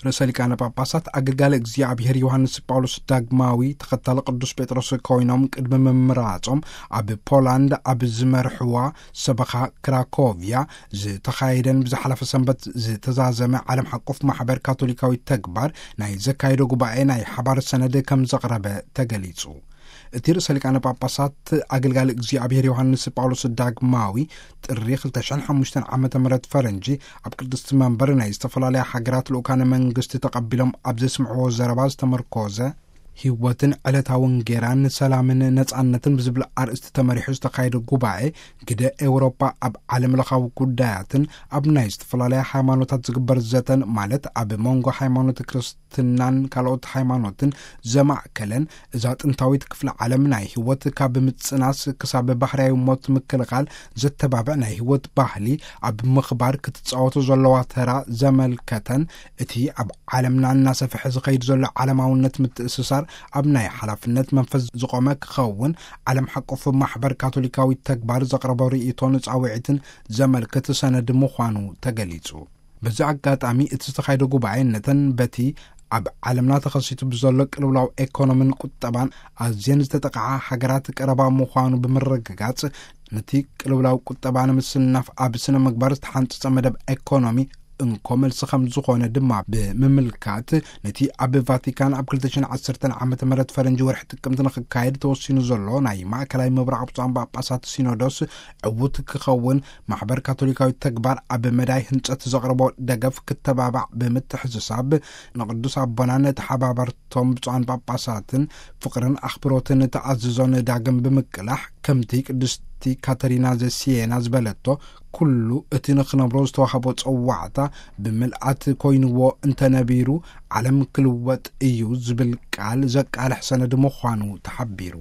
ርእሰ ሊቃነ ጳጳሳት ኣገልጋሊ እግዚኣብሔር ዮሃንስ ጳውሎስ ዳግማዊ ተኸታሊ ቅዱስ ጴጥሮስ ኮይኖም ቅድሚ ምምራጾም፣ ኣብ ፖላንድ ኣብ ዝመርሕዋ ሰበኻ ክራኮቭያ ዝተኻየደን ብዝሓለፈ ሰንበት ዝተዛዘመ ዓለም ሓቆፍ ማሕበር ካቶሊካዊ ተግባር ናይ ዘካየዶ ጉባኤ ናይ ሓባር ሰነድ ከም ዘቕረበ ተገሊጹ። እቲ ርእሰ ሊቃነ ጳጳሳት ኣገልጋሊ እግዚኣብሔር ዮሃንስ ጳውሎስ ዳግማዊ ጥሪ ክልተ ሽሕን ሓሙሽተን ዓመተ ምህረት ፈረንጂ ኣብ ቅድስቲ መንበር ናይ ዝተፈላለያ ሃገራት ልኡካነ መንግስቲ ተቐቢሎም ኣብ ዘስምዕዎ ዘረባ ዝተመርኮዘ፣ ህይወትን ዕለታዊ እንጌራን ሰላምን ነጻነትን ብዝብል ኣርእስቲ ተመሪሑ ዝተኻየደ ጉባኤ፣ ግደ ኤውሮጳ ኣብ ዓለም ለኻዊ ጉዳያትን ኣብ ናይ ዝተፈላለያ ሃይማኖታት ዝግበር ዘተን፣ ማለት ኣብ መንጎ ሃይማኖት ክርስትናን ካልኦት ሃይማኖትን ዘማእከለን፣ እዛ ጥንታዊት ክፍለ ዓለም ናይ ህይወት ካብ ምጽናስ ክሳብ ባህርያዊ ሞት ምክልኻል ዘተባብዕ ናይ ህይወት ባህሊ ኣብ ምኽባር ክትጻወቶ ዘለዋ ተራ ዘመልከተን፣ እቲ ኣብ ዓለምና እናሰፍሐ ዝኸይድ ዘሎ ዓለማውነት ምትእስሳር ኣብ ናይ ሓላፍነት መንፈስ ዝቖመ ክኸውን፣ ዓለም ሓቆፍ ማሕበር ካቶሊካዊ ተግባር ዘቕረቦ ርእይቶን ጻውዒትን ዘመልክት ሰነድ ምዃኑ ተገሊጹ። በዚ ኣጋጣሚ እቲ ዝተኻየደ ጉባኤ ነተን በቲ ኣብ ዓለምና ተኸሲቱ ብዘሎ ቅልውላው ኤኮኖምን ቁጠባን ኣዝየን ዝተጠቕዓ ሃገራት ቀረባ ምዃኑ ብምርግጋጽ፣ ነቲ ቅልውላው ቁጠባ ንምስናፍ ኣብ ስነ ምግባር ዝተሓንጸጸ መደብ ኤኮኖሚ እንኮ መልሲ ከም ዝኾነ ድማ ብምምልካት፣ ነቲ ኣብ ቫቲካን ኣብ ክልተ ሽሕን ዓሰርተን ዓመተ ምህረት ፈረንጂ ወርሒ ጥቅምቲ ንኽካየድ ተወሲኑ ዘሎ ናይ ማእከላይ ምብራቕ ብፁዓን ጳጳሳት ሲኖዶስ ዕዉት ክኸውን፣ ማሕበር ካቶሊካዊ ተግባር ኣብ መዳይ ህንጸት ዘቕርቦ ደገፍ ክተባባዕ ብምትሕስሳብ፣ ንቅዱስ ኣቦናን ተሓባበርቶም ብፁዓን ጳጳሳትን ፍቕርን ኣኽብሮትን ተኣዝዞን ዳግም ብምቅላሕ፣ ከምቲ ቅድስቲ ካተሪና ዘሲየና ዝበለቶ፣ ኩሉ እቲ ንኽነብሮ ዝተዋህቦ ጸዋዕታ ብምልኣት ኮይንዎ እንተነቢሩ፣ ዓለም ክልወጥ እዩ ዝብል ቃል ዘቃልሕ ሰነድ ምዃኑ ተሓቢሩ።